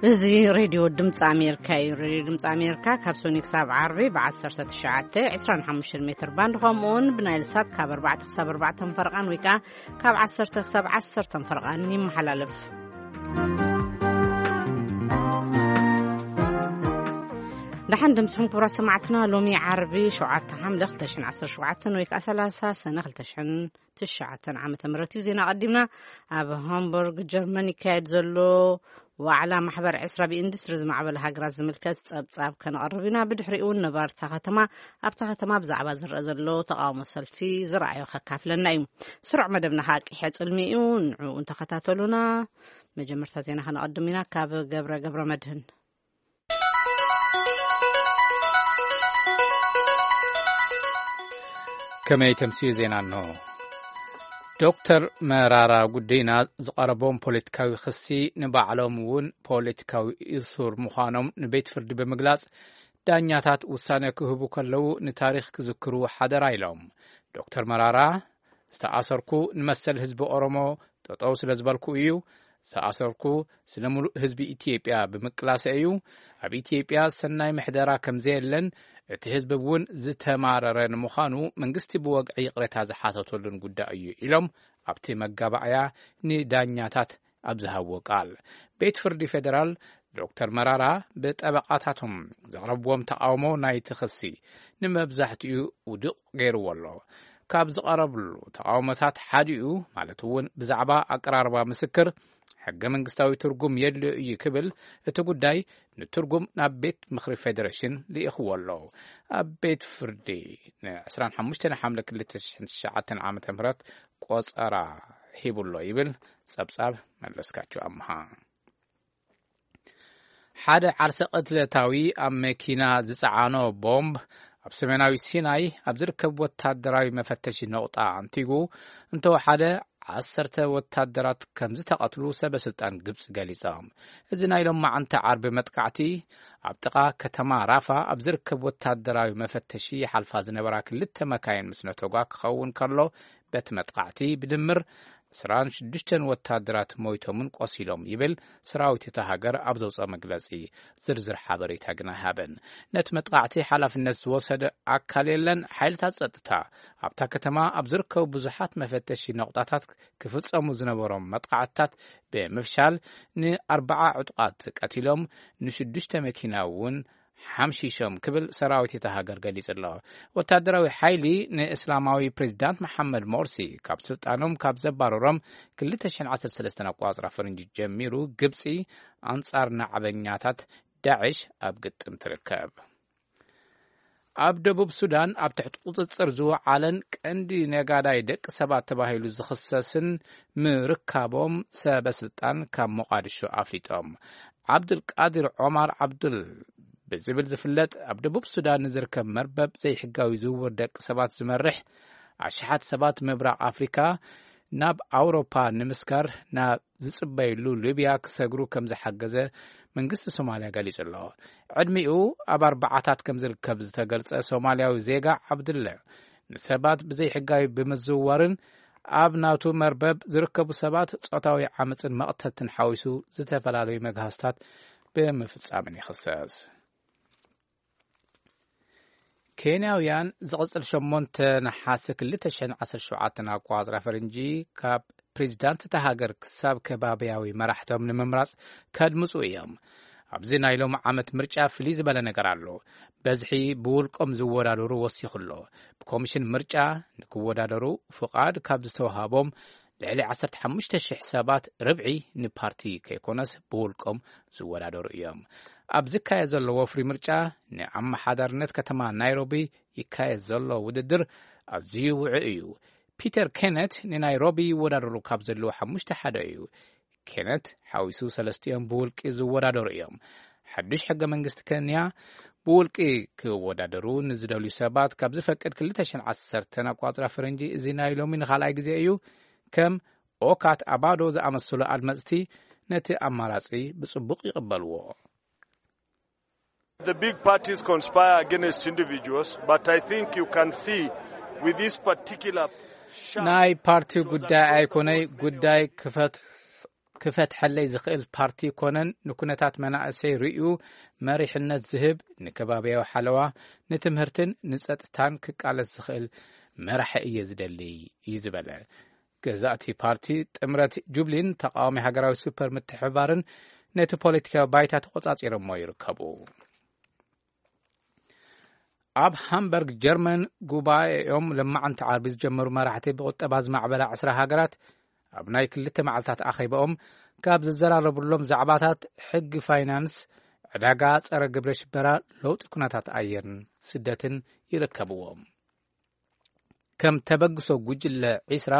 እዚ ሬድዮ ድምፂ ኣሜሪካ እዩ። ሬድዮ ድምፂ ኣሜሪካ ካብ ሶኒ ክሳብ ዓርቢ ብ19፣ 25 ሜትር ባንድ፣ ከምኡውን ብናይል ሳት ካብ ኣርባዕተ ክሳብ ኣርባዕተ ፈረቓን ወይ ከዓ ካብ ዓሰርተ ክሳብ ዓሰርተ ፈረቓን ይመሓላለፍ። ደሓን ድምፅኹም ክቡራት ሰማዕትና። ሎሚ ዓርቢ ሸውዓተ ሓምለ ክልተ ሽሕን ዓሰርተ ሸውዓተን ወይ ከዓ ሰላሳ ሰነ ክልተ ሽሕን ትሽዓተን ዓመተ ምህረት እዩ። ዜና ቀዲምና። ኣብ ሃምቡርግ ጀርመን ይካየድ ዘሎ ዋዕላ ማሕበር ዕስራ ብኢንዱስትሪ ዝማዕበለ ሃገራት ዝምልከት ጸብጻብ ከነቐርብ ኢና። ብድሕሪኡ እውን ነባርታ ከተማ፣ ኣብታ ከተማ ብዛዕባ ዝረአ ዘሎ ተቃውሞ ሰልፊ ዝረኣዮ ከካፍለና እዩ። ስሩዕ መደብና ከዓ ቂሐ ጽልሚ እዩ። ንዕኡ እንተኸታተሉና። መጀመርታ ዜና ከነቐድም ኢና ካብ ገብረ ገብረ መድህን። ከመይ ተምስዩ ዜና እንሆ። ዶክተር መራራ ጉዲና ዝቐረቦም ፖለቲካዊ ክሲ ንባዕሎም እውን ፖለቲካዊ እሱር ምዃኖም ንቤት ፍርዲ ብምግላጽ፣ ዳኛታት ውሳነ ክህቡ ከለዉ ንታሪኽ ክዝክሩ ሓደራ ኢሎም። ዶክተር መራራ ዝተኣሰርኩ ንመሰል ህዝቢ ኦሮሞ ጠጠው ስለ ዝበልኩ እዩ። ዝተኣሰርኩ ስለ ሙሉእ ህዝቢ ኢትዮጵያ ብምቅላሰ እዩ። ኣብ ኢትዮጵያ ሰናይ ምሕደራ ከም ዘየለን እቲ ህዝቢ እውን ዝተማረረ ንምዃኑ መንግስቲ ብወግዒ ይቕሬታ ዝሓተተሉን ጉዳይ እዩ ኢሎም ኣብቲ መጋባእያ ንዳኛታት ኣብ ዝሃብዎ ቃል። ቤት ፍርዲ ፌደራል ዶክተር መራራ ብጠበቓታቶም ዘቕረብዎም ተቓውሞ ናይቲ ክሲ ንመብዛሕትኡ ውዱቕ ገይርዎ ኣሎ። ካብ ዝቐረብሉ ተቓውሞታት ሓዲኡ፣ ማለት እውን ብዛዕባ ኣቀራርባ ምስክር፣ ሕገ መንግስታዊ ትርጉም የድልዮ እዩ ክብል፣ እቲ ጉዳይ ንትርጉም ናብ ቤት ምኽሪ ፌዴሬሽን ልኢኽዎ ኣሎ። ኣብ ቤት ፍርዲ ን25 ሓምለ ክልተ ሽሕን ትሽዓተን ዓመተ ምህረት ቆጸራ ሂቡ ኣሎ ይብል ጸብጻብ መለስካቸው ኣምሃ። ሓደ ዓርሰ ቅትለታዊ ኣብ መኪና ዝጸዓኖ ቦምብ ኣብ ሰሜናዊ ሲናይ ኣብ ዝርከብ ወታደራዊ መፈተሺ ነቑጣ ኣንቲጉ እንተወሓደ ዓሰርተ ወታደራት ከም ዝተቐትሉ ሰበ ስልጣን ግብጺ ገሊጾም። እዚ ናይ ሎማዓንቲ ዓርቢ መጥቃዕቲ ኣብ ጥቓ ከተማ ራፋ ኣብ ዝርከብ ወታደራዊ መፈተሺ ይሓልፋ ዝነበራ ክልተ መካይን ምስ ነተጓ ክኸውን ከሎ፣ በቲ መጥቃዕቲ ብድምር ዕስራን ሽዱሽተን ወታደራት ሞይቶምን ቆሲሎም ይብል ሰራዊት እታ ሃገር ኣብ ዘውፅኦ መግለፂ። ዝርዝር ሓበሬታ ግን ኣይሃበን። ነቲ መጥቃዕቲ ሓላፍነት ዝወሰደ ኣካል የለን። ሓይልታት ጸጥታ ኣብታ ከተማ ኣብ ዝርከቡ ብዙሓት መፈተሺ ነቑጣታት ክፍጸሙ ዝነበሮም መጥቃዕትታት ብምፍሻል ንኣርባዓ ዕጡቓት ቀቲሎም፣ ንሽዱሽተ መኪና እውን ሓምሺሾም ክብል ሰራዊት እታ ሃገር ገሊጹ ኣሎ። ወታደራዊ ሓይሊ ንእስላማዊ ፕሬዚዳንት መሓመድ ሞርሲ ካብ ስልጣኖም ካብ ዘባረሮም ክልተ ሽሕን ዓሰርተ ሰለስተን ኣቋጽራ ፈረንጂ ጀሚሩ፣ ግብጺ ኣንጻር ናዕበኛታት ዳዕሽ ኣብ ግጥም ትርከብ። ኣብ ደቡብ ሱዳን ኣብ ትሕቲ ቁጽጽር ዝወዓለን ቀንዲ ነጋዳይ ደቂ ሰባት ተባሂሉ ዝኽሰስን ምርካቦም ሰበ ስልጣን ካብ ሞቃዲሾ ኣፍሊጦም። ዓብዱልቃድር ዖማር ዓብዱል ብዝብል ዝፍለጥ ኣብ ደቡብ ሱዳን ንዝርከብ መርበብ ዘይሕጋዊ ዝውውር ደቂ ሰባት ዝመርሕ፣ ኣሽሓት ሰባት ምብራቕ ኣፍሪካ ናብ ኣውሮፓ ንምስጋር ናብ ዝጽበይሉ ሊብያ ክሰግሩ ከም ዝሓገዘ መንግስቲ ሶማልያ ገሊጹ ኣሎ። ዕድሚኡ ኣብ ኣርባዓታት ከም ዝርከብ ዝተገልጸ ሶማልያዊ ዜጋ ዓብዱለ፣ ንሰባት ብዘይሕጋዊ ብምዝውዋርን ኣብ ናቱ መርበብ ዝርከቡ ሰባት ጾታዊ ዓመጽን መቕተልትን ሓዊሱ ዝተፈላለዩ መግሃስታት ብምፍጻምን ይኽሰስ። ኬንያውያን ዝቕጽል ሸሞንተ ነሓሰ ክልተ ሽሕን ዓሰርተ ሸውዓተን ኣቋጽራ ፈረንጂ ካብ ፕሬዚዳንት እታ ሃገር ክሳብ ከባብያዊ መራሕቶም ንምምራጽ ከድምጹ እዮም። ኣብዚ ናይ ሎም ዓመት ምርጫ ፍልይ ዝበለ ነገር ኣሎ። በዝሒ ብውልቆም ዝወዳደሩ ወሲኹ ኣሎ። ብኮሚሽን ምርጫ ንክወዳደሩ ፍቓድ ካብ ዝተዋሃቦም ልዕሊ ዓሰርተ ሓሙሽተ ሽሕ ሰባት ርብዒ ንፓርቲ ከይኮነስ ብውልቆም ዝወዳደሩ እዮም። ኣብ ዝካየድ ዘሎ ወፍሪ ምርጫ ንኣመሓዳርነት ከተማ ናይሮቢ ይካየድ ዘሎ ውድድር ኣዝዩ ውዑ እዩ። ፒተር ኬነት ንናይሮቢ ይወዳደሩ ካብ ዘለዉ ሓሙሽተ ሓደ እዩ። ኬነት ሓዊሱ ሰለስቲኦም ብውልቂ ዝወዳደሩ እዮም። ሓዱሽ ሕገ መንግስቲ ኬንያ ብውልቂ ክወዳደሩ ንዝደልዩ ሰባት ካብ ዝፈቅድ ክልተ ሽሕን ዓሰርተን ኣቋጽራ ፈረንጂ፣ እዚ ናይ ሎሚ ንኻልኣይ ግዜ እዩ። ከም ኦካት ኣባዶ ዝኣመሰሉ ኣድመጽቲ ነቲ ኣማራጺ ብጽቡቕ ይቕበልዎ። The big parties conspire against individuals, but I think you can see with this particular sharp ናይ ፓርቲ ጉዳይ ኣይኮነይ ጉዳይ ክፈት ክፈትሐለይ ዝኽእል ፓርቲ ኮነን ንኩነታት መናእሰይ ርእዩ መሪሕነት ዝህብ፣ ንከባቢያዊ ሓለዋ፣ ንትምህርትን ንጸጥታን ክቃለስ ዝኽእል መራሒ እየ ዝደሊ እዩ ዝበለ። ገዛእቲ ፓርቲ ጥምረት ጁብሊን ተቃዋሚ ሃገራዊ ሱፐር ምትሕብባርን ነቲ ፖለቲካዊ ባይታ ተቆጻጺሮሞ ይርከቡ። ኣብ ሃምበርግ ጀርመን ጉባኤኦም ለማዓንቲ ዓርቢ ዝጀመሩ መራሕቲ ብቁጠባ ዝማዕበላ ዕስራ ሃገራት ኣብ ናይ ክልተ መዓልታት ኣኼባኦም ካብ ዝዘራረብሎም ዛዕባታት ሕጊ ፋይናንስ፣ ዕዳጋ፣ ጸረ ግብረ ሽበራ፣ ለውጢ ኩነታት ኣየርን ስደትን ይርከብዎም። ከም ተበግሶ ጉጅለ ዒስራ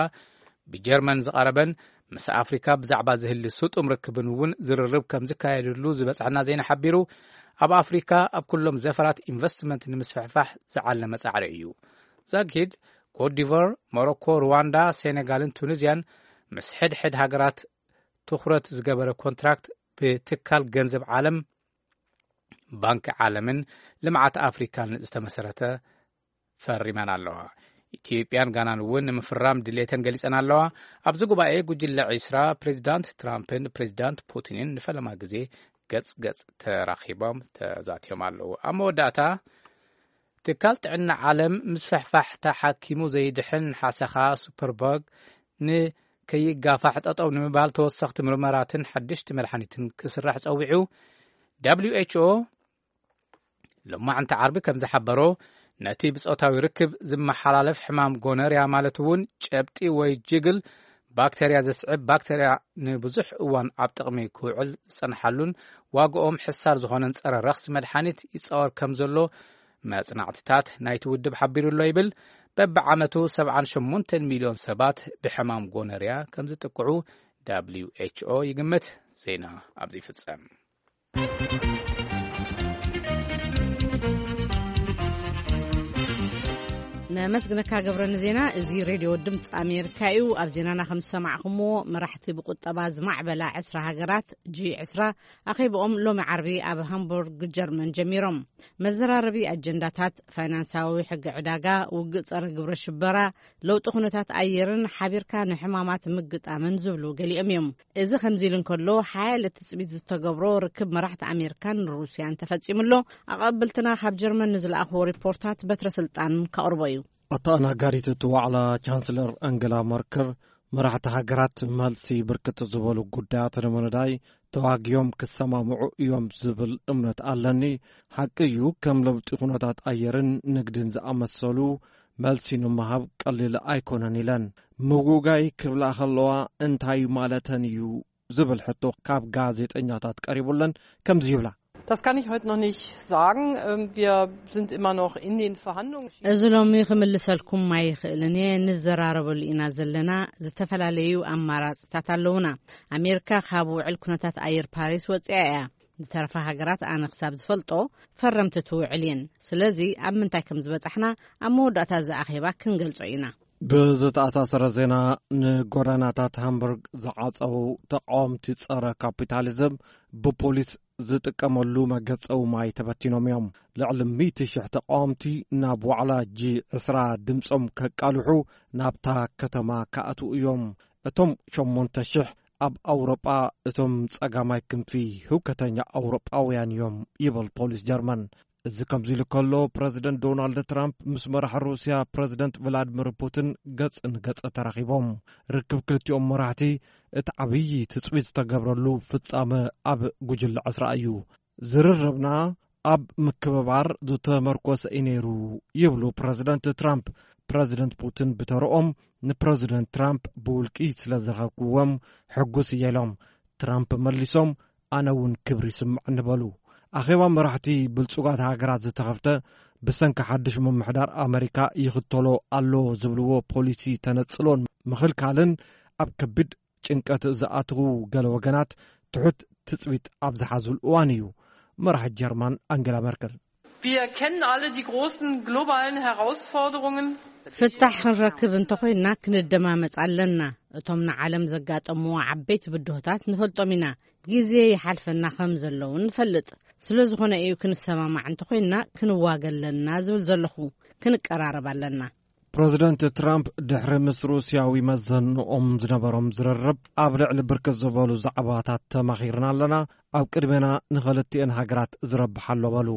ብጀርመን ዝቐረበን ምስ ኣፍሪካ ብዛዕባ ዝህሊ ስጡም ርክብን እውን ዝርርብ ከም ዝካየድሉ ዝበጽሐና ዜና ሓቢሩ። ኣብ ኣፍሪካ ኣብ ኩሎም ዘፈራት ኢንቨስትመንት ንምስፍሕፋሕ ዝዓለመ ጻዕሪ እዩ። ዛጊድ ኮትዲቨር፣ ሞሮኮ፣ ሩዋንዳ፣ ሴኔጋልን ቱኒዝያን ምስ ሕድሕድ ሃገራት ትኹረት ዝገበረ ኮንትራክት ብትካል ገንዘብ ዓለም፣ ባንኪ ዓለምን ልምዓት ኣፍሪካን ዝተመሰረተ ፈሪመን ኣለዋ። ኢትዮጵያን ጋናን እውን ንምፍራም ድሌተን ገሊጸን ኣለዋ። ኣብዚ ጉባኤ ጉጅለ ዒስራ ፕሬዚዳንት ትራምፕን ፕሬዚዳንት ፑቲንን ንፈለማ ግዜ ገጽ ገጽ ተራኺቦም ተዛትዮም ኣለዉ። ኣብ መወዳእታ ትካል ጥዕና ዓለም ምስፍሕፋሕ ተሓኪሙ ዘይድሕን ሓሰኻ ሱፐርበግ ንከይጋፋሕ ጠጠው ንምባል ተወሰኽቲ ምርመራትን ሓድሽቲ መድሓኒትን ክስራሕ ጸዊዑ። ደብሊው ኤች ኦ ሎማዕንቲ ዓርቢ ከም ዝሓበሮ፣ ነቲ ብጾታዊ ርክብ ዝመሓላለፍ ሕማም ጎነርያ ማለት እውን ጨብጢ ወይ ጅግል ባክተርያ ዘስዕብ ባክተርያ ንብዙሕ እዋን ኣብ ጥቕሚ ክውዕል ዝጸንሓሉን ዋግኦም ሕሳር ዝኾነን ጸረ ረኽሲ መድሓኒት ይጻወር ከም ዘሎ መጽናዕትታት ናይቲ ውድብ ሓቢሩ ኣሎ ይብል። በብዓመቱ ሰብዓን ሸሞንተን ሚልዮን ሰባት ብሕማም ጎነርያ ከም ዝጥቅዑ ደብሊው ኤች ኦ ይግምት። ዜና ኣብዚ ይፍጸም። ነመስግነካ ገብረ ንዜና። እዚ ሬድዮ ድምፂ ኣሜሪካ እዩ። ኣብ ዜናና ከም ዝሰማዕኹምዎ፣ መራሕቲ ብቁጠባ ዝማዕበላ ዕስራ ሃገራት፣ ጂ ዕስራ፣ ኣኼብኦም ሎሚ ዓርቢ ኣብ ሃምቡርግ ጀሚሮም። መዘራረቢ ኣጀንዳታት ፋይናንሳዊ ሕጊ ዕዳጋ፣ ውግእ ጸረ ግብረ ሽበራ፣ ለውጢ ኩነታት ኣየርን ሓቢርካ ንሕማማት ምግጣምን ዝብሉ ገሊኦም እዮም። እዚ ከምዚ ኢሉ እንከሎ፣ ሓያለ ትጽቢት ዝተገብሮ ርክብ መራሕቲ ኣሜሪካን ሩስያን ተፈጺሙ ኣሎ። ኣቐብልትና ካብ ጀርመን ንዝለኣኽዎ ሪፖርታት በትረ ስልጣን ከቕርቦ እዩ። ኣተኣናጋዲት እቲ ዋዕላ፣ ቻንስለር ኣንገላ መርከል፣ መራሕቲ ሃገራት መልሲ ብርክት ዝበሉ ጉዳያት ንምንዳይ ተዋጊዮም ክሰማምዑ እዮም ዝብል እምነት ኣለኒ። ሓቂ እዩ፣ ከም ለውጢ ኩነታት ኣየርን ንግድን ዝኣመሰሉ መልሲ ንምሃብ ቀሊል ኣይኮነን ኢለን። ምውጋይ ክብላ ከለዋ እንታይ ማለተን እዩ ዝብል ሕቶ ካብ ጋዜጠኛታት ቀሪቡለን ከምዚ ይብላ። Das kann ich heute noch nicht sagen. Ähm, wir sind immer noch in den Verhandlungen. እዚ ሎሚ ክምልሰልኩም ኣይኽእልን እየ። ንዘራረበሉ ኢና ዘለና። ዝተፈላለዩ ኣማራፅታት ኣለውና። ኣሜሪካ ካብ ውዕል ኩነታት ኣየር ፓሪስ ወፂኣ እያ። ዝተረፋ ሃገራት ኣነ ክሳብ ዝፈልጦ ፈረምቲ እቲ ውዕል እየን። ስለዚ ኣብ ምንታይ ከም ዝበፃሕና ኣብ መወዳእታ እዚ ኣኼባ ክንገልጾ ኢና። ብዝተኣሳሰረ ዜና፣ ንጎዳናታት ሃምቡርግ ዝዓጸዉ ተቃወምቲ ጸረ ካፒታሊዝም ብፖሊስ ዝጥቀመሉ መገጸዊ ማይ ተበቲኖም እዮም። ልዕሊ ሚእቲ ሽሕ ተቃወምቲ ናብ ዋዕላ ጂ ዕስራ ድምጾም ከቃልሑ ናብታ ከተማ ክኣትዉ እዮም። እቶም ሸሞንተ ሽሕ ኣብ ኣውሮጳ እቶም ጸጋማይ ክንፊ ህውከተኛ ኣውሮጳውያን እዮም ይብል ፖሊስ ጀርመን። እዚ ከምዚ ኢሉ ከሎ፣ ፕረዚደንት ዶናልድ ትራምፕ ምስ መራሒ ሩስያ ፕረዚደንት ቭላድሚር ፑቲን ገጽ ንገጽ ተራኺቦም። ርክብ ክልቲኦም መራሕቲ እቲ ዓብዪ ትጽቢት ዝተገብረሉ ፍጻመ ኣብ ጉጅለ ዕስራ እዩ። ዝርርብና ኣብ ምክብባር ዝተመርኮሰ እዩ ነይሩ ይብሉ ፕረዚደንት ትራምፕ። ፕረዚደንት ፑቲን ብተረኦም፣ ንፕረዚደንት ትራምፕ ብውልቂ ስለ ዝረኸብክዎም ሕጉስ እየ ኢሎም። ትራምፕ መሊሶም፣ ኣነ እውን ክብሪ ይስምዐኒ በሉ። ኣኼባ መራሕቲ ብልጹጋት ሃገራት ዝተኸፍተ፣ ብሰንኪ ሓድሽ ምምሕዳር ኣመሪካ ይኽተሎ ኣሎ ዝብልዎ ፖሊሲ ተነጽሎን ምኽልካልን ኣብ ከቢድ ጭንቀት ዝኣትዉ ገለ ወገናት ትሑት ትጽቢት ኣብ ዝሓዙሉ እዋን እዩ። መራሒ ጀርማን ኣንገላ መርከል። Wir kennen alle die großen globalen Herausforderungen. ፍታሕ ክንረክብ እንተኾይንና ክንደማመጽ ኣለና። እቶም ንዓለም ዘጋጠምዎ ዓበይቲ ብድሆታት ንፈልጦም ኢና። ግዜ ይሓልፈና ከም ዘለውን ንፈልጥ። ስለ ዝኾነ እዩ ክንሰማማዕ እንተኾይንና ክንዋገ ኣለና ዝብል ዘለኹ። ክንቀራረብ ኣለና። ፕረዚደንት ትራምፕ ድሕሪ ምስ ሩስያዊ መዘንኦም ዝነበሮም ዝርርብ ኣብ ልዕሊ ብርክት ዝበሉ ዛዕባታት ተማኺርና ኣለና፣ ኣብ ቅድሜና ንኽልቲኤን ሃገራት ዝረብሕ ኣሎ በሉ።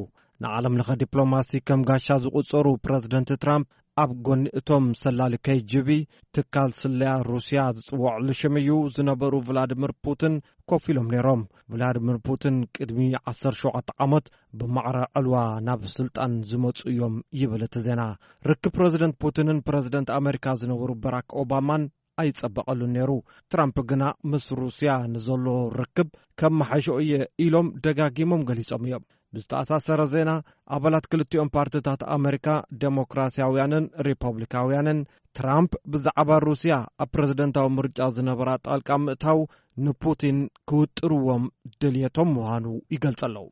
ንዓለም ለኸ ዲፕሎማሲ ከም ጋሻ ዝቑጸሩ ፕረዚደንት ትራምፕ ኣብ ጎኒ እቶም ሰላሊ ኬ ጂ ቢ ትካል ስለያ ሩስያ ዝጽውዕሉ ሽም እዩ ዝነበሩ ቭላድሚር ፑቲን ኮፍ ኢሎም ነይሮም። ቭላድሚር ፑቲን ቅድሚ ዓሰርተ ሸውዓተ ዓመት ብማዕረ ዕልዋ ናብ ስልጣን ዝመጹ እዮም ይብል እቲ ዜና። ርክብ ፕረዚደንት ፑቲንን ፕረዚደንት ኣሜሪካ ዝነበሩ በራክ ኦባማን ኣይጸበቐሉን ነይሩ። ትራምፕ ግና ምስ ሩስያ ንዘሎ ርክብ ከመሓይሾ እየ ኢሎም ደጋጊሞም ገሊጾም እዮም። ብዝተኣሳሰረ ዜና፣ ኣባላት ክልቲኦም ፓርቲታት ኣሜሪካ፣ ዴሞክራሲያውያንን ሪፐብሊካውያንን፣ ትራምፕ ብዛዕባ ሩስያ ኣብ ፕረዚደንታዊ ምርጫ ዝነበራ ጣልቃ ምእታው ንፑቲን ክውጥርዎም ድልየቶም ምዃኑ ይገልጹ ኣለዉ።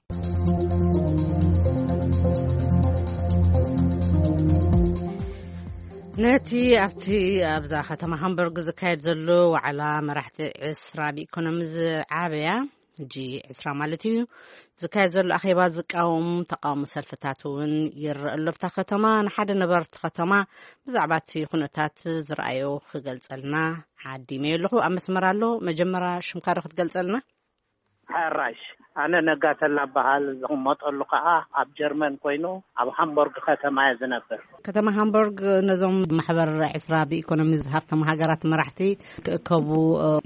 ነቲ ኣብቲ ኣብዛ ከተማ ሃምበርግ ዝካየድ ዘሎ ዋዕላ መራሕቲ ዕስራ ብኢኮኖሚ ዝዓበያ፣ ጂ ዕስራ ማለት እዩ፣ ዝካየድ ዘሎ ኣኼባ ዝቃወሙ ተቃውሞ ሰልፍታት እውን ይረአ ኣሎ። ኣብታ ከተማ ንሓደ ነበርቲ ከተማ ብዛዕባ እቲ ኩነታት ዝረኣዮ ክገልጸልና ዓዲመዮ ኣለኹ። ኣብ መስመር ኣሎ። መጀመርያ ሽምካ ዶ ክትገልጸልና? ሕራሽ፣ ኣነ ነጋተላ በሃል፣ ዝቕመጠሉ ከኣ ኣብ ጀርመን ኮይኑ ኣብ ሃምቦርግ ከተማ እየ ዝነብር። ከተማ ሃምቦርግ ነዞም ማሕበር ዕስራ ብኢኮኖሚ ዝሃብቶም ሃገራት መራሕቲ ክእከቡ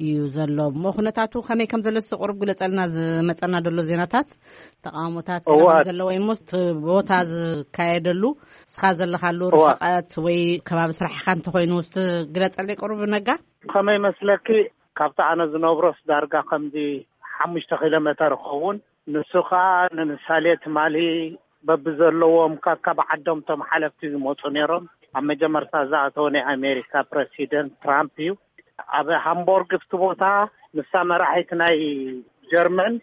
እዩ ዘሎ። እሞ ኩነታቱ ከመይ ከም ዘሎ እስቲ ቁሩብ ግለጸልና። ዝመጸና ዘሎ ዜናታት፣ ተቃውሞታት እወ። ከመይ ዘለዎ እሞ እቲ ቦታ ዝካየደሉ፣ እስኻ ዘለኻሉ እወ። ርሕቀት ወይ ከባቢ ስራሕኻ እንተኾይኑ እስቲ ግለጸለይ ቁሩብ ነጋ። ከመይ መስለኪ፣ ካብቲ ኣነ ዝነብሮስ ዳርጋ ከምዚ ሓሙሽተ ኪሎ ሜተር ይኸውን። ንሱ ኸኣ ንምሳሌ ትማሊ በብዘለዎም ከካብ ዓዶም እቶም ሓለፍቲ ዝመጹ ነይሮም። ኣብ መጀመርታ ዝኣተወ ናይ ኣሜሪካ ፕረሲደንት ትራምፕ እዩ። ኣብ ሃምቦርግ ኣብቲ ቦታ ምስታ መራሒት ናይ ጀርመን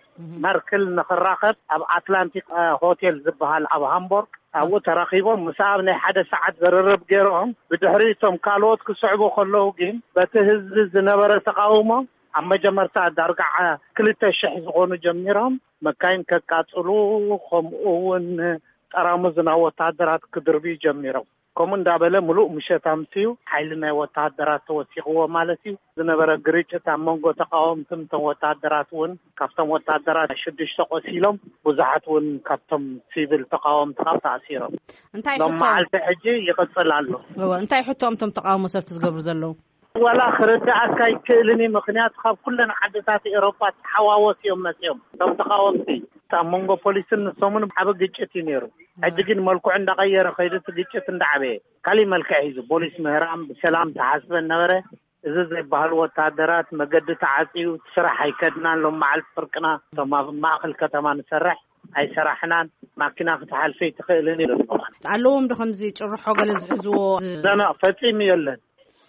መርክል ንኽራኸብ ኣብ ኣትላንቲክ ሆቴል ዝበሃል ኣብ ሃምቦርግ ኣብኡ ተራኺቦም ምስ ኣብ ናይ ሓደ ሰዓት ዝርርብ ገይሮም። ብድሕሪ እቶም ካልኦት ክስዕቡ ከለዉ ግን በቲ ህዝቢ ዝነበረ ተቃውሞ ኣብ መጀመርታ ዳርጋ ክልተ ሽሕ ዝኾኑ ጀሚሮም መካይን ከቃጽሉ፣ ከምኡ እውን ጠራሙዝ ናብ ወታደራት ክድርብዩ ጀሚሮም። ከምኡ እንዳበለ ምሉእ ምሸት ኣምስዩ ሓይሊ ናይ ወታደራት ተወሲኽዎ ማለት እዩ። ዝነበረ ግርጭት ኣብ መንጎ ተቃወምትን እቶም ወታደራት እውን ካብቶም ወታደራት ሽዱሽተ ቆሲሎም ብዙሓት እውን ካብቶም ሲቪል ተቃወምቲ ካብ ተኣሲሮም። እንታይ ሎም ሕቶ? መዓልቲ ሕጂ ይቕጽል ኣሎ። እወ፣ እንታይ ሕቶኦም እቶም ተቃውሞ ሰልፊ ዝገብሩ ዘለዉ? ዋላ ክርድኣካ ኣይክእልን እዩ። ምኽንያቱ ካብ ኩለን ዓድታት ኤሮፓ ተሓዋወስ እዮም መፅኦም እቶም ተቃወምቲ። ኣብ መንጎ ፖሊስን ንሶምን ዓቢ ግጭት እዩ ነይሩ። ሕጂ ግን መልክዑ እንዳቐየረ ከይዱ እቲ ግጭት እንዳዓበየ ካሊእ መልክዕ ሒዙ። ፖሊስ ምህራም ብሰላም ተሓስበ ነበረ። እዚ ዘይበሃል ወታደራት መገዲ ተዓፅዩ፣ ስራሕ ኣይከድናን፣ ሎም መዓልቲ ፍርቅና እቶም ኣብ ማእኸል ከተማ ንሰርሕ ኣይሰራሕናን፣ ማኪና ክትሓልፈ ኣይትኽእልን እዩ። ኣለዎም ዶ ከምዚ ጭርሖ ገለ ዝሕዝዎ? ዘና ፈጺሙ የለን።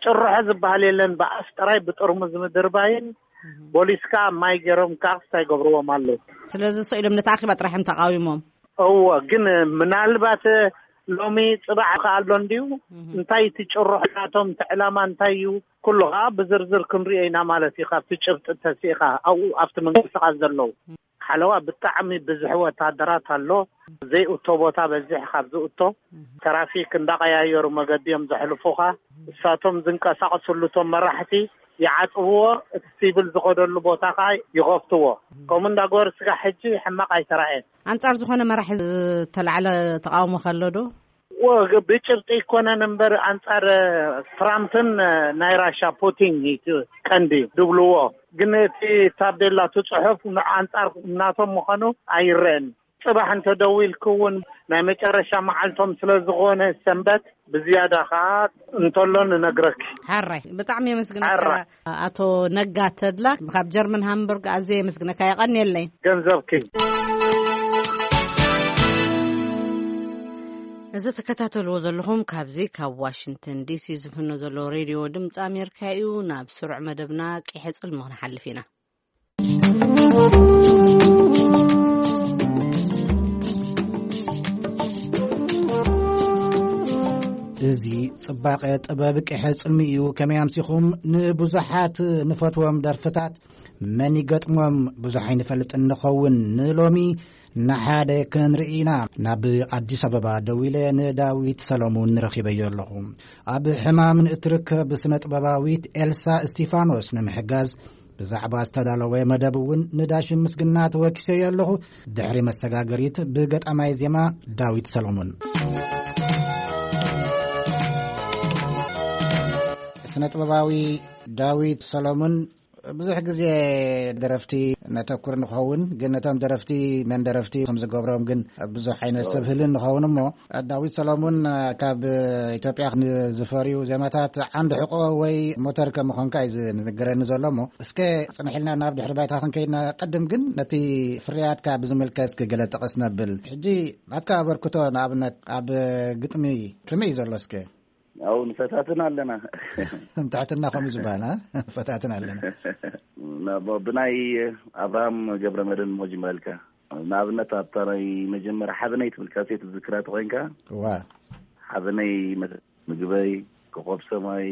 ጭርሖ ዝበሃል የለን። ብኣፍ ጥራይ ብጥርሙዝ ምድርባይን ቦሊስ ከኣ ማይ ገይሮም ከኣ ክስታይ ገብርዎም ኣለዉ። ስለዚ ስኢሎም ነቲ ኣኼባ ጥራይ እዮም ተቃዊሞም። እወ፣ ግን ምናልባት ሎሚ ጽባሕ ከኣ ኣሎ እንድዩ። እንታይ እቲ ጭርሖ ናቶም፣ እቲ ዕላማ እንታይ እዩ? ኩሉ ከኣ ብዝርዝር ክንሪኦ ኢና ማለት እዩ። ካብቲ ጭብጢ ተሲእኻ ኣብኡ ኣብቲ ምንቅስቃስ ዘለዉ ሓለዋ ብጣዕሚ ብዙሕ ወታደራት ኣሎ። ዘይእቶ ቦታ በዚሕ ካብ ዝእቶ ትራፊክ እንዳቀያየሩ መገዲ እዮም ዘሕልፉኻ። እሳቶም ዝንቀሳቀስሉ እቶም መራሕቲ ይዓጽብዎ፣ እቲ ሲቪል ዝኸደሉ ቦታ ከዓ ይኸፍትዎ። ከምኡ እንዳገበሩ ስጋ ሕጂ ሕማቅ ኣይተራእየን። ኣንጻር ዝኾነ መራሒ ዝተላዕለ ተቃውሞ ከሎ ዶ? ወ-፣ ብጭብጢ ኣይኮነን እምበር ኣንጻር ትራምፕን ናይ ራሻ ፑቲን እዩ እቲ ቀንዲ ድብልዎ። ግን እቲ ታቤላ፣ እቲ ጽሑፍ ን-፣ ኣንጻር ናቶም ምዃኑ ኣይረአን። ጽባሕ እንተደዊልኪ እውን ናይ መጨረሻ መዓልቶም ስለ ዝኾነ ሰንበት ብዝያዳ ከዓ እንተሎ ንነግረኪ። ሓራይ፣ ብጣዕሚ የመስግነካ ሓራይ። ኣቶ ነጋ ተድላ ካብ ጀርመን ሃምቡርግ ኣዝየ የመስግነካ። የቐንየለይ። ገንዘብኪ። እዚ ትከታተልዎ ዘለኹም ካብዚ ካብ ዋሽንግተን ዲሲ ዝፍኖ ዘሎ ሬድዮ ድምፂ ኣሜሪካ እዩ። ናብ ስሩዕ መደብና ቂሐ ጽልሚ ክንሓልፍ ኢና። እዚ ጽባቐ ጥበብ ቂሐ ጽልሚ እዩ። ከመይ ኣምሲኹም? ንብዙሓት ንፈትዎም ደርፍታት መን ይገጥሞም ብዙሕ ኣይንፈልጥን ንኸውን። ንሎሚ ንሓደ ክንርኢ ኢና። ናብ ኣዲስ ኣበባ ደዊለ ንዳዊት ሰሎሙን ረኺበዮ ኣለኹ። ኣብ ሕማም ንእትርከብ ስነ ጥበባዊት ኤልሳ እስቲፋኖስ ንምሕጋዝ ብዛዕባ ዝተዳለወ መደብ እውን ንዳሽን ምስግና ተወኪሰዮ ኣለኹ። ድሕሪ መሰጋገሪት ብገጣማይ ዜማ ዳዊት ሰሎሙን። ስነ ጥበባዊ ዳዊት ሰሎሙን፣ ብዙሕ ግዜ ደረፍቲ ነተኩር ንኸውን፣ ግን ነቶም ደረፍቲ መን ደረፍቲ ከም ዝገብሮም ግን ብዙሕ ዓይነት ሰብ ህልን ንኸውን እሞ፣ ዳዊት ሰሎሙን ካብ ኢትዮጵያ ንዝፈርዩ ዜማታት ዓንዲ ሕቆ ወይ ሞተር ከም ምዃንካ እዩ ዝንገረኒ ዘሎ እሞ፣ እስከ ጽንሕ ኢልና ናብ ድሕሪ ባይታ ክንከይድ ንቐድም፣ ግን ነቲ ፍርያትካ ብዝምልከት እስኪ ገለ ጠቐስ ነብል። ሕጂ ናትካ ኣበርክቶ ንኣብነት ኣብ ግጥሚ ከመይ እዩ ዘሎ እስከ? ኣው ንፈታትን ኣለና። ንትሕትና ከምኡ ዝበሃል፣ ኣ? ፈታትን ኣለና። ናብ ብናይ ኣብርሃም ገብረ መድህን እሞ ጅምረልካ። ንኣብነት ኣብታ ናይ መጀመርያ ሓበነይ ትብል ካሴት ዝዝክራ ተኾይንካ፣ እዋ። ሓበነይ መ-፣ ምግበይ፣ ኮኾብ ሰማይ፣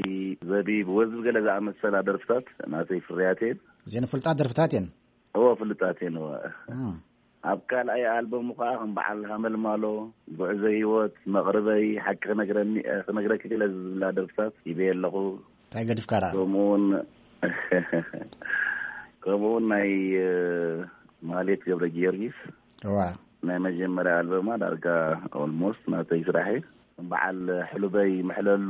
ዘቢብ፣ ወዝብ ገለ ዝኣመሰላ ደርፍታት ናተይ ፍርያት እየን። እዘን ፍሉጣት ደርፍታት እየን። እዎ፣ ፍሉጣት እየን፣ እዎ። እም። ኣብ ካልኣይ ኣልበሙ ኸዓ ከም በዓል ሃመልማሎ፣ ጉዕዞ ህይወት፣ መቕርበይ፣ ሓቂ ክነግረኒ፣ ክነግረኪ ክኢለ ዝብላ ደርፍታት ሂበየ ኣለኹ። እንታይ ገዲፍካ ደኣ? ከምኡውን፣ ከምኡውን ናይ፣ እ፣ ማህሌት ገብረ ጊዮርጊስ። እዋ። ናይ መጀመርያ ኣልበማ ዳርጋ ኦልሞስት ናተይ ስራሕ እዩ። በዓል ሕሉበይ ምሕለሉ፣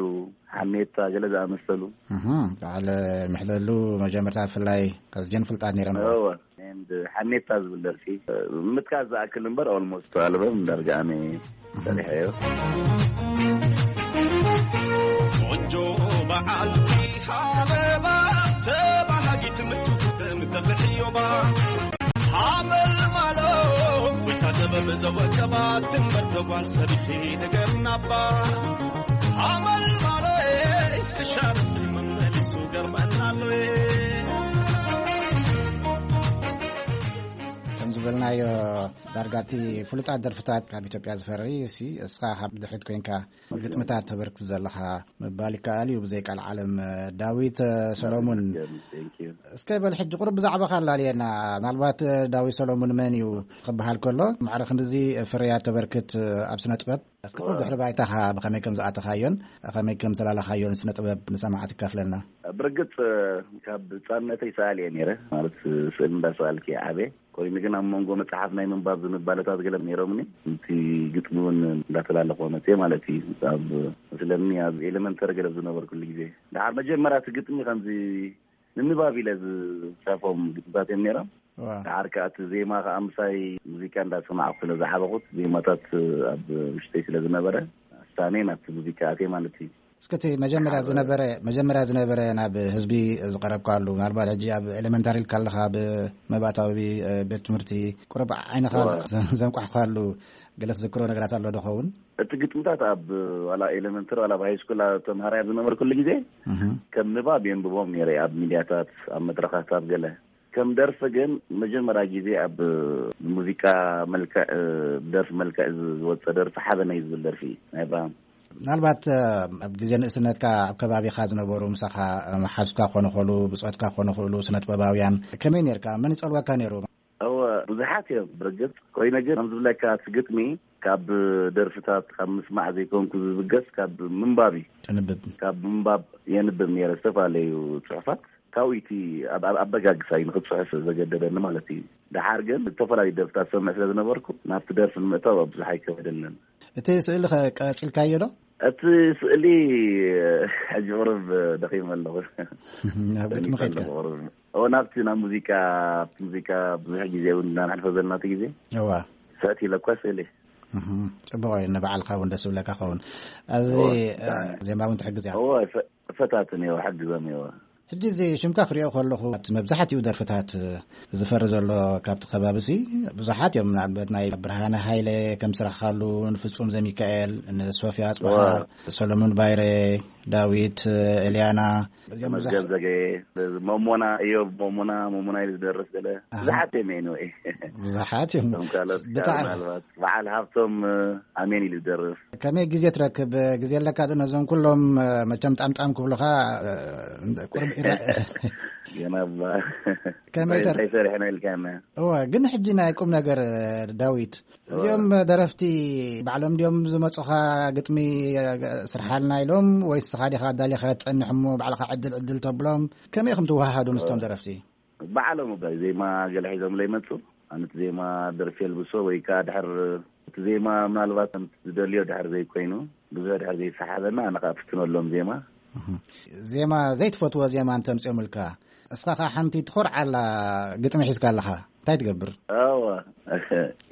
ሓሜታ ገለ ዝኣመሰሉ። እህ፣ በዓል ምሕለሉ መጀመርታ ብፍላይ ከዝጀን ፍልጣት ነይረን። እወ፣ ኤንድ ሓሜታ ዝብል ደርፊ ምጥቃስ ዝኣክል እምበር ኦልሞስት ኣልበም ዳርጋ ኣነ ሰሪሐዮ። ቆንጆ በዓልቲ ሃበባ ተባሃጊት ምቹ ከም ተፍሕዮባ ሓመል ማሎ ወይታ ጥበብ ዘወቀባ ትንበር ተጓል ሰሪኺ ነገር ናባ ሓመል ማሎ ክሻብ መመሊሱ ገርመናሎ። ከም ዝበልናዮ ዳርጋቲ ፍሉጣት ደርፍታት ካብ ኢትዮጵያ ዝፈሪ እሲ እስኻ ካብ ድሕሪት ኮይንካ ግጥምታት ተበርክት ዘለኻ ምባል ይከኣል እዩ ብዘይ ቃል ዓለም። ዳዊት ሰሎሙን፣ Thank you. እስከ በል ሕጂ ቁሩብ ብዛዕባኻ ኣላልየና። ምናልባት ዳዊት ሰሎሙን መን እዩ ክበሃል ከሎ ማዕረ ክንድዚ ፍርያት ተበርክት ኣብ ስነ ጥበብ፣ እስከ ቁሩብ ድሕሪ ባይታኻ ብኸመይ ከም ዝኣተኻዮን ከመይ ከም ዝላለኻዮን ስነ ጥበብ ንሰማዕቲ ካፍለና። ብርግጽ ካብ ህጻንነተይ ሰኣሊ እየ ነይረ፣ ማለት ስእሊ እንዳሰኣልኩ እየ ዓብየ። ኮይኑ ግን ኣብ መንጎ መጽሓፍ ናይ ምንባብ ዝንባለታት ገለ ነይሮምኒ። እቲ ግጥሚ እውን እንዳተላለኾ መጽየ ማለት እዩ። ኣብ መስለኒ ኣብ ኤሌመንተሪ ገለ ዝነበርኩሉ ግዜ። ደሓር መጀመርያ እቲ ግጥሚ ከምዚ ንንባብ ኢለ ዝጻፎም ግጥምታት እዮም ነይሮም። ዋ። ደሓር ከኣ እቲ ዜማ ከኣ ምሳይ ሙዚቃ እንዳሰማዕኩ ስለ ዝዓበኹት ዜማታት ኣብ ውሽጠይ ስለ ዝነበረ፣ ኣሳኔ ናብቲ ሙዚቃ ኣትየ ማለት እዩ። እስከ እቲ መጀመርያ ደሓር ዝነበረ፣ መጀመርያ ዝነበረ ናብ ህዝቢ ዝቐረብካሉ፣ ምናልባት ሕጂ ኣብ ኤሌመንታሪ ኢልካ ኣለኻ፣ ኣብ መባእታዊ፣ እ፣ ቤት ትምህርቲ ቁሩብ ዓይንኻ ዋ። ዘ-፣ ዘንቋሕካሉ ገለ ትዝክሮ ነገራት ኣሎ ዶ ኸውን? እቲ ግጥምታት ኣብ ዋላ ኤሌመንተሪ ዋላ ኣብ ሃይስኩል ኣብ ተምሃራይ ኣብ ዝነበርኩሉ ግዜ እህ። ከም ንባብ የንብቦም ነይረ ኣብ ሚድያታት፣ ኣብ መድረኻት፣ ኣብ ገለ። ከም ደርፊ ግን መጀመርያ ግዜ ኣብ ሙዚቃ መልክዕ፣ እ፣ ደርፊ መልክዕ ዝ-፣ ዝወጸ ደርፊ ሓበነይ ዝብል ደርፊ እዩ ናይ ኣብርሃም። ምናልባት፣ እ፣ ኣብ ግዜ ንእስነትካ ኣብ ከባቢኻ ዝነበሩ ምሳኻ፣ እ፣ መሓዙትካ ክኾኑ ይኽእሉ፣ ብጾትካ ክኾኑ ይኽእሉ፣ ስነ ጥበባውያን ከመይ ኔርካ? መን ይጸልወካ ነይሩ? እወ፣ ብዙሓት እዮም ብርግጽ። ኮይነ ግን ከም ዝብለካ እቲ ግጥሚ ካብ ደርፍታት ካብ ምስማዕ ዘይኮንኩ ዝብገስ ካብ ምንባብ እዩ። ተንብብ። ካብ ምንባብ የንብብ ነይረ ዝተፈላለዩ ጽሑፋት። ካብኡ እቲ ኣብ፣ ኣብ ኣበጋግሳ እዩ ንኽጽሕፍ ዘገደደኒ ማለት እዩ። ደሓር ግን ዝተፈላለዩ ደርፍታት ሰምዕ ስለ ዝነበርኩ ናብቲ ደርፊ ንምእታው ብዙሕ ኣይከበደንን። እቲ ስእሊ ኸ ቀጺልካዮ ዶ? እቲ ስእሊ ሕጂ ቁሩብ ደኺመ ኣለኹ። ናብ ግጥሚ ደኺመ ከይድካ? ኣለኹ ቁሩብ። ኦ፣ ናብቲ፣ ናብ ሙዚቃ፣ ኣብቲ ሙዚቃ ብዙሕ ግዜ እውን እንዳነሕልፎ ዘለና እቲ ግዜ። እዋ። ሰእት ኢለ እኳ ስእሊ። እህ፣ ጽቡቕ እዩ። ንባዕልኻ እውን ደስ ዝብለካ ኸውን። ኣብዚ፣ እዎ፣ እ፣ ብጣዕሚ። ዜማ እውን ትሕግዝ እያ። እዎ፣ ፈ-፣ ፈታትን እየው፣ ሕግዞም እየው። ሕጂ እዚ ሽምካ ክሪኦ ከለኹ፣ ኣብቲ መብዛሕትኡ ደርፍታት ዝፈሪ ዘሎ ካብቲ ከባቢ ሲ ብዙሓት እዮም። ንኣብነት ናይ ብርሃነ ሃይለ ከም ስራሕካሉ፣ ንፍጹም ዘሚካኤል፣ ንሶፊያ ኣጽብሃ፣ እዎ። ሰሎሞን ባይረ፣ ዳዊት፣ ኤልያና፣ እዚኦም ብዙሕ ተመስገን ዘገየ፣ ሞሞና፣ እዮብ ሞሞና፣ ሞሞና ኢሉ ዝደርፍ ገለ። ኣሃ። ብዙሓት እዮም፣ anyway። ብዙሓት እዮም። እቶም ካልኦት ብጣዕሚ። ምናልባት በዓል ሃብቶም፣ ኣሜን ኢሉ ዝደርፍ። ከመይ ግዜ ትረክብ? ግዜ ኣለካ ዶ ነዞም ኩሎም፣ መቸም ጣምጣም ክብሉኻ፣ ቁርብ ኢራ-፣ ገና እባ ከመይ ተር- እንታይ ሰሪሕና ኢልካና? እወ፣ ግን ሕጂ ናይ ቁም ነገር፣ ዳዊት፣ እዚኦም ደረፍቲ ባዕሎም ድዮም ዝመጹኻ ግጥሚ ስርሓልና ኢሎም፣ ወይስ ንስኻ ዲኻ ኣዳሊኻ ትጸንሕ እሞ ባዕልኻ ዕድል ዕድል ተብሎም? ከመይ ኢኹም ትወሃሃዱ ምስቶም ደረፍቲ? ባዕሎም እባ ዜማ ገለ ሒዞም ለይመጹ፣ ኣነ እቲ ዜማ ደርፊ የልብሶ ወይ ከኣ ድሕር እቲ ዜማ ምናልባት ከምቲ ዝደልዮ ድሕር ዘይኮይኑ፣ ብዙሕ ድሕር ዘይሰሓበና፣ ኣነ ከኣ ፍትነሎም ዜማ። እህ። ዜማ፣ ዘይትፈትዎ ዜማ እንተምጽኦምልካ፣ እስኻ ከኣ ሓንቲ ትኾርዓላ ግጥሚ ሒዝካ ኣለኻ፣ እንታይ ትገብር? እወ፣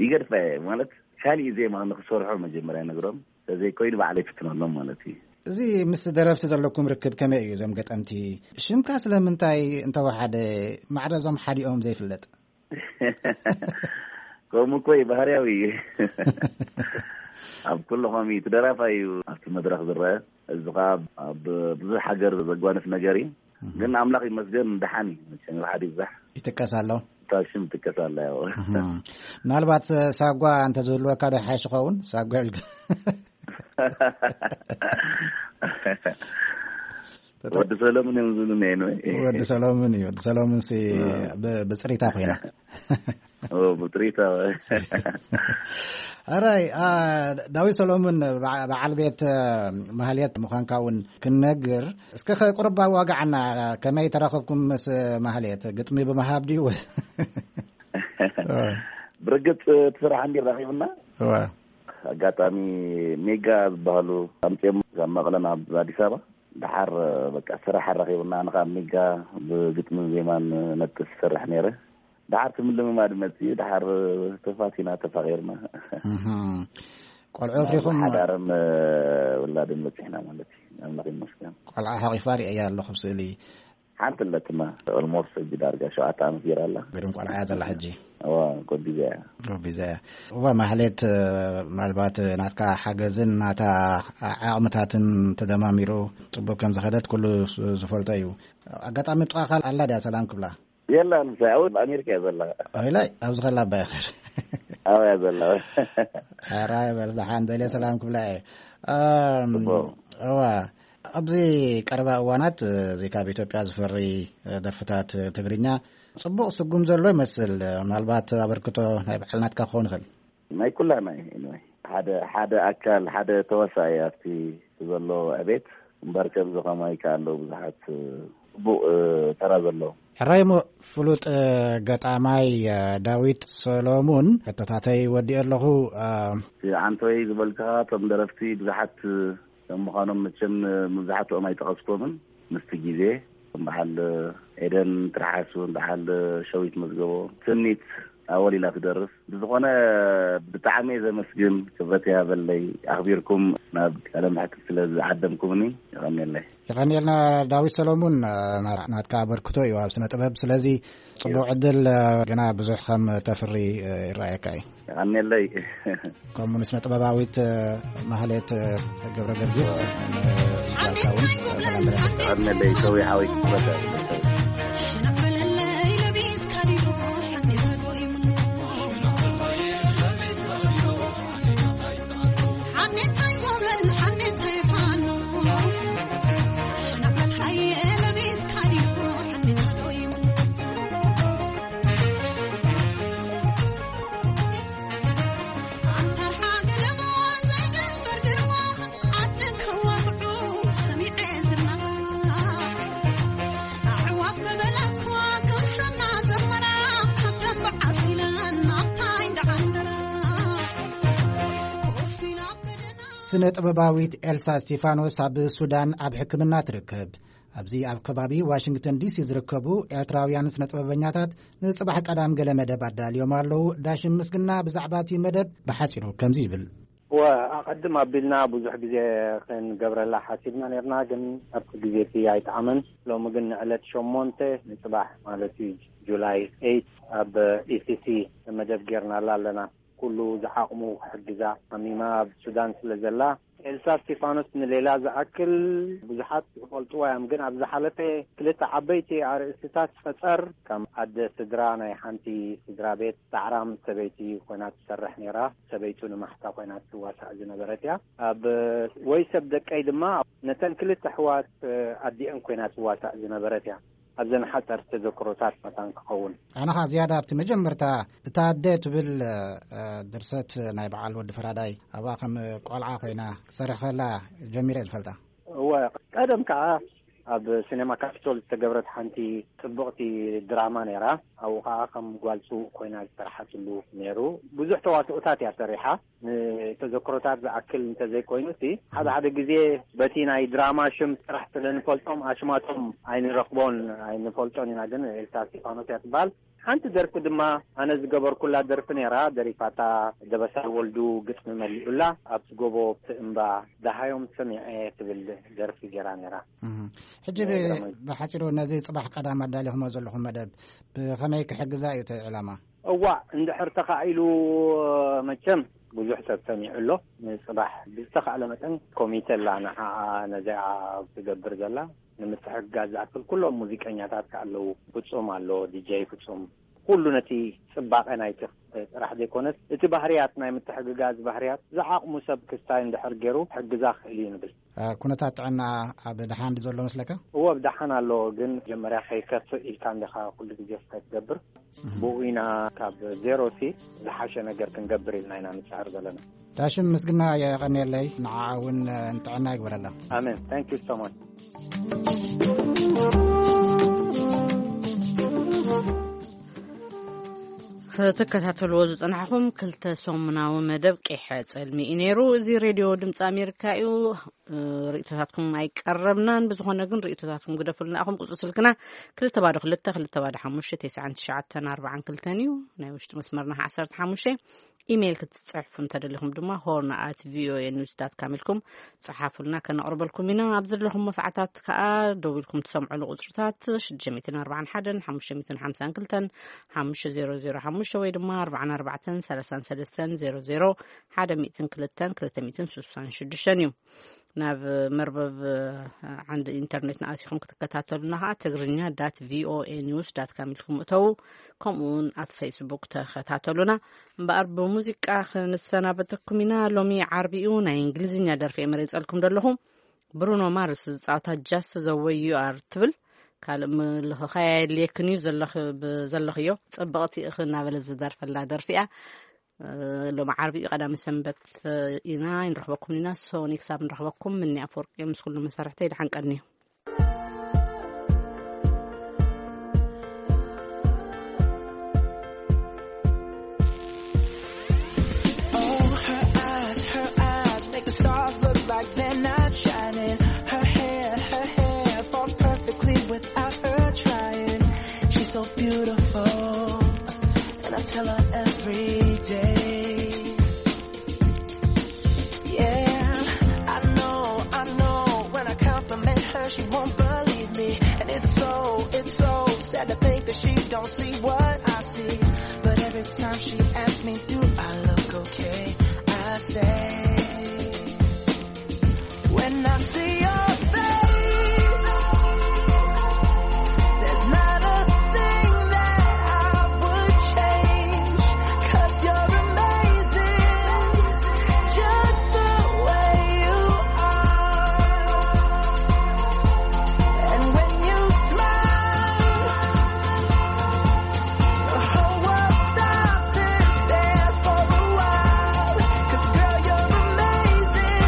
ይገድፋ እየ። ማለት፣ ካሊእ ዜማ ንኽሰርሖ መጀመርያ ነግሮም፣ ተዘይኮይኑ ባዕለይ ፍትነሎም ማለት እዩ። እዚ ምስ ደረፍቲ ዘለኩም ርክብ ከመይ እዩ? እዞም ገጠምቲ ሽምካ ስለምንታይ እንተወሓደ፣ ማዕረ እዞም ሓዲኦም ዘይፍለጥ? ከምኡ እኮ እዩ፣ ባህርያዊ እዩ። ኣብ ኩሉ ከሚ እቲ ደራፋይ እዩ ኣብቲ መድረኽ ዝረአ። እዚ ኸዓ ኣብ ብዙሕ ሃገር ዘጓንፍ ነገር እዩ። እህ። ግን ኣምላኽ ይመስገን፣ ደሓን እዩ። መቸም ይውሓድ ይብዛሕ፣ ይጥቀስ ኣሎ። እታ ሽም ትጥቀስ ኣላ፣ ያው። እህ። ምናልባት ሳጓ እንተዝህልወካ ዶ ይሓይሽ ይኸውን? ሳጓ ኢልካ። ወዲ ሰሎምን እዮም ዝብሉኒ፣ anyway። ወዲ ሰሎምን እዩ። ወዲ ሰሎምን ሲ እ። ብ-፣ ብጽሪታ ኮይና። ኦ፣ ብጥሪታ። ኣራይ፣ አ፣ ዳዊት ሰሎምን በዓ-፣ በዓል ቤት፣ እ፣ ማህሌት ምዃንካ እውን ክንነግር፣ እስከ ከ ቁርብ ኣዋግዓና፣ ከመይ ተራኸብኩም ምስ ማህሌት? ግጥሚ ብምሃብ ድዩ? እ። ብርግጽ እቲ ስራሕ እንዲ ረኺብና። እወ። ኣጋጣሚ ሜጋ ዝበሃሉ ኣምጺኦም ካብ መቐለ ናብ ኣዲስ ኣበባ። ደሓር በቃ ስራሕ ኣራኺቡና፣ ኣነ ካብ ሜጋ ብግጥምን ዜማን ነጥፍ ዝሰርሕ ነይረ። ደሓር እቲ ምልምማድ መጺኡ፣ ደሓር ተፋቲና፣ ተፋቒርና። እህ። ቆልዑ ኣፍሪኹም? ሓዳርን ውላድን በጺሕና ማለት እዩ። ኣምላኽ ይመስገን። ቆልዓ ሓቒፋ ርእያ ኣለኹ ኣብ ስእሊ። ሓንቲ ኣለትማ፣ ኦልሞስት ሕጂ ዳርጋ ሸውዓተ ዓመት ገይራ ኣላ። ግርም ቆልዓ እያ ዘላ ሕጂ። እዋ፣ ጎቢዛ እያ። ጎቢዛ እያ። እዋ፣ ማህሌት፣ ምናልባት ናትካ ሓገዝን ናታ ዓቕምታትን ተደማሚሩ ጽቡቅ ከም ዝኸደት ኩሉ ዝፈልጦ እዩ። ኣጋጣሚ ጥቓኻ ኣላ ድያ ሰላም ክብላ? የላ፣ ንሳ ኣብ ኣሜሪካ እያ ዘላ። ኦይላይ፣ ኣብዚ ከላ ኣባ ይኸር። ኣብያ ዘላ። ሕራይ በል፣ ደሓን ደልየ ሰላም ክብላ እየ። ኣም፣ ጽቡቅ። እዋ፣ ኣብዚ ቀረባ እዋናት፣ እዚ ካብ ኢትዮጵያ ዝፈሪ ደርፍታት ትግርኛ ጽቡቅ ስጉም ዘሎ ይመስል። ምናልባት ኣበርክቶ ናይ ባዕልናትካ ክኸውን ይኽእል። ናይ ኩላና እዩ። Anyway፣ ሓደ፣ ሓደ ኣካል፣ ሓደ ተዋሳኢ ኣብቲ ዘሎ ዕቤት እምበር፣ ከምዚ ከማይ ከኣ ኣለዉ ብዙሓት ጽቡቕ፣ እ፣ ተራ ዘለዎም። ሕራይ እሞ፣ ፍሉጥ፣ እ፣ ገጣማይ፣ እ፣ ዳዊት ሰሎሙን፣ ሕቶታተይ ወዲኤ ኣለኹ። እ፣ እቲ ዓንቶይ ዝበልካ፣ እቶም ደረፍቲ ብዙሓት፣ እ፣ ከም ምዃኖም መቸም፣ እ፣ መብዛሕትኦም ኣይጠቐስኮምን። ምስቲ ግዜ፣ ከም በዓል፣ እ፣ ኤደን ትርሓስ እውን፣ በዓል፣ እ፣ ሸዊት መዝገቦ፣ ትምኒት ኣወል ኢላ ትደርፍ። ብዝኾነ ብጣዕሚ እየ ዘመስግን፣ ክብረት ይሃበለይ፣ ኣኽቢርኩም ናብ ቃለ መሕትት ስለ ዝዓደምኩምኒ የቐንየለይ። የቐንየልና ዳዊት ሰሎሙን፣ ና-፣ ናትካ ኣበርክቶ እዩ ኣብ ስነ ጥበብ። ስለዚ ጽቡቕ ዕድል፣ ግና ብዙሕ ከም ተፍሪ ይረኣየካ እዩ። የቐንየለይ። ከምኡ ንስነ ጥበባዊት ማህሌት ገብረ ገርጊስ፣ እ፣ ዛካውን ሰላም ብለና። የቐንየለይ ሰዊ ሓወይ ክብረት ይሃበለይ። ስነ ጥበባዊት ኤልሳ እስቲፋኖስ ኣብ ሱዳን ኣብ ሕክምና ትርከብ። ኣብዚ ኣብ ከባቢ ዋሽንግተን ዲሲ ዝርከቡ ኤርትራውያን ስነ ጥበበኛታት ንጽባሕ ቀዳም ገለ መደብ ኣዳልዮም ኣለዉ። ዳሽም ምስግና ብዛዕባ እቲ መደብ ብሓጺሩ ከምዚ ይብል። እወ፣ ኣቐድም ኣቢልና ብዙሕ ግዜ ክንገብረላ ሓሲብና ነርና፣ ግን ኣብቲ ግዜ እቲ ኣይጠዓመን። ሎሚ ግን ንዕለት ሸሞንተ ንጽባሕ ማለት እዩ፣ ጁላይ ኤይት፣ ኣብ ኢ ሲ ሲ መደብ ጌርናላ ኣለና። ኩሉ ዝዓቕሙ ክሕግዛ ሓሚማ ኣብ ሱዳን ስለ ዘላ፣ ኤልሳ እስቲፋኖስ ንሌላ ዝኣክል ብዙሓት ይፈልጥዋ እዮም፣ ግን ኣብ ዝሓለፈ ክልተ ዓበይቲ ኣርእስትታት ፈጸር፣ ከም ኣደ ስድራ ናይ ሓንቲ ስድራ ቤት ጻዕራም ሰበይቲ ኮይና ትሰርሕ ነይራ። ሰበይቱ ንማሕሳ ኮይና ትዋሳእ ዝነበረት እያ። ኣብ ወይ ሰብ ደቀይ ድማ ነተን ክልተ ኣሕዋት ኣዲአን ኮይና ትዋሳእ ዝነበረት እያ። ኣብዘን ሓፀርቲ ተዘክሮታት መታን ክኸውን። ኣነ ኸዓ ዝያዳ ኣብቲ መጀመርታ እታ ኣደ ትብል፣ እ፣ ድርሰት ናይ በዓል ወዲ ፈራዳይ ኣብኣ ከም ቆልዓ ኮይና ክትሰርሕ ከላ ጀሚረ ዝፈልጣ። እወ፣ ቀደም ከዓ ኣብ ሲኔማ ካፒቶል ዝተገብረት ሓንቲ ጽብቕቲ ድራማ ነይራ። ኣብኡ ከዓ ከም ጓል ስውእ ኮይና ዝሰርሓትሉ ነይሩ። ብዙሕ ተዋስኦታት እያ ሰሪሓ። ንተዘክሮታት ዝኣክል እንተዘይኮይኑ፣ እቲ ሓደ ሓደ ግዜ በቲ ናይ ድራማ ሽም ጥራሕ ስለ ንፈልጦም ኣሽማቶም ኣይንረኽቦን፣ ኣይንፈልጦን ኢና። ግን ኤልሳ እስጢፋኖስ እያ ትበሃል። ሓንቲ ደርፊ ድማ ኣነ ዝገበርኩላ ደርፊ ነይራ፣ ደሪፋታ ደበሳይ ወልዱ፣ ግጥሚ መሊኡላ። ኣብቲ ጎቦ፣ ኣብቲ እምባ፣ ደሃዮም ሰሚዐ ትብል ደርፊ ገይራ ነይራ። እህ። ሕጂ ብ-፣ ብሓጺሩ ነዚ ጽባሕ ቀዳም ኣዳሊኹሞ ዘለኹም መደብ ብኸመይ ክሕግዛ እዩ እቲ ዕላማ? እዋእ፣ እንድሕር ተኻኢሉ፣ መቸም ብዙሕ ሰብ ሰሚዑ ኣሎ። ንጽባሕ ብዝተኻእለ መጠን ኮሚተ ኣላ፣ ንዓኣ ነዚኣ ትገብር ዘላ ንምትሕግጋዝ ዝኣክል ኩሎም ሙዚቀኛታት ከኣ ኣለዉ። ፍጹም ኣሎ፣ ዲጀይ ፍጹም። ኩሉ ነቲ ጽባቐ ናይቲ ጥራሕ ዘይኮነስ፣ እቲ ባህርያት ናይ ምትሕግጋዝ ባህርያት ዝዓቕሙ ሰብ ክስታይ እንድሕር ገይሩ ክሕግዛ ክእል እዩ ንብል። እ፣ ኩነታት ጥዕና ኣብ ደሓን ድዩ ዘሎ መስለካ? እወ፣ ኣብ ደሓን ኣሎ፣ ግን መጀመርያ ከይከፍእ ኢልካ እንዲኻ ኩሉ ግዜ ስታይ ትገብር። እህ። ብኡ ኢና ካብ ዜሮ ሲ ዝሓሸ ነገር ክንገብር ኢልና ኢና ንጽዕር ዘለና። ዳሽም ምስግና የቐንየለይ፣ ንዓኣ እውን ንጥዕና ይግበረላ። ኣሜን። Thank you so much። ክትከታተልዎ ዝጸናሕኹም ክልተ ሰሙናዊ መደብ ቂሐ ጸልሚ እዩ ነይሩ። እዚ ሬድዮ ድምፂ ኣሜሪካ እዩ። እ፣ ርእይቶታትኩም ኣይቀረብናን። ብዝኾነ ግን ርእይቶታትኩም ግደፉልና ኢኹም። ቁጽሪ ስልክና ክልተ ባዶ ክልተ፣ ክልተ ባዶ ሓሙሽተ፣ ተስዓን ትሽዓተን ኣርባዓን ክልተን እዩ። ናይ ውሽጢ መስመርና ዓሰርተ ሓሙሽተ። ኢሜይል ክትጽሕፉ እንተደሊኹም ድማ ሆርን ኣት ቪኦኤ ኒውስ ዳት ካም ኢልኩም ጽሓፉልና፣ ከነቕርበልኩም ኢና። ኣብ ዘለኹሞ ሰዓታት ከኣ ደዊልኩም ትሰምዑሉ ቁጽርታት ሽዱሽተ ሚእትን ኣርባዓን ሓደን ሓሙሽተ ሚእትን ሓምሳን ክልተን ሓሙሽተ ዜሮ ዜሮ ሓሙሽተ ወይ ድማ ኣርባዓን ኣርባዕተን ሰላሳን ሰለስተን ዜሮ ዜሮ ሓደ ሚእትን ክልተን ክልተ ሚእትን ስሳን ሽዱሽተን እዩ። ናብ መርበብ ዓንዲ ኢንተርኔትና ኣቲኹም ክትከታተሉና ከኣ ትግርኛ ዳት ቪኦኤ ኒውስ ዳት ካም ኢልኩም እተዉ። ከምኡ እውን ኣብ ፌስቡክ ተኸታተሉና። እምበኣር ብሙዚቃ ክንሰናበተኩም ኢና። ሎሚ ዓርቢ እዩ፣ ናይ እንግሊዝኛ ደርፊ እየ መሪጸልኩም ዘለኹ። ብሩኖ ማርስ ዝጻወታ ጃስት ዘ ወይ ዩ ኣር ትብል። ካልእ ምልኽኻይ ኣየድልየክን እዩ፣ ዘለኽ-፣ ብ-፣ ዘለኽዮ ጽብቕቲ ኢኺ እናበለ ዝደርፈላ ደርፊ እያ። እ፣ ሎሚ ዓርቢ እዩ፣ ቀዳሚ ሰንበት ኢና፣ ይንረኽበኩም ኢና። ሶኒ ክሳብ ንረኽበኩም፣ ምኒ ኣፈወርቂ ምስ ኩሉ መሳርሕተይ ደሓን ቀንዩ። Oh, her eyes, her eyes make the stars look like they're not shining. Her hair, her hair falls perfectly without her trying. She's so beautiful, and I tell her every day. Yeah, I know, I know. When I compliment her, she won't believe me. And it's so, it's so sad to think that she don't see what I see. But every time she asks me, do I look okay? I say, when I see your face, there's not a thing that I would change. 'Cause you're amazing, just the way you are. And when you smile, the whole world stops and stares for a while. 'Cause girl, you're amazing,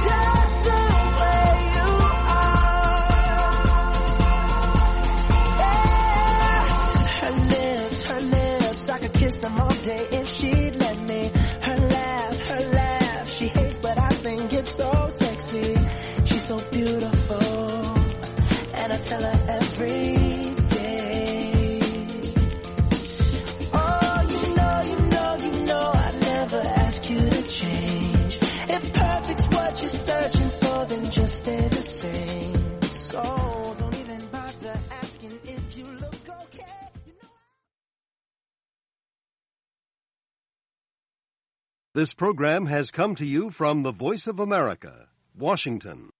just the way you are. Yeah. Her lips, her lips, I could kiss them all day if she'd let me. Her laugh, her laugh, she hates, but I think it's so sexy. She's so beautiful, and I tell her every day. Oh, you know, you know, you know, I never ask you to change. If perfect's what you're searching for, then just stay the same. So don't even bother asking if you look okay. You know. This program has come to you from the Voice of America, Washington.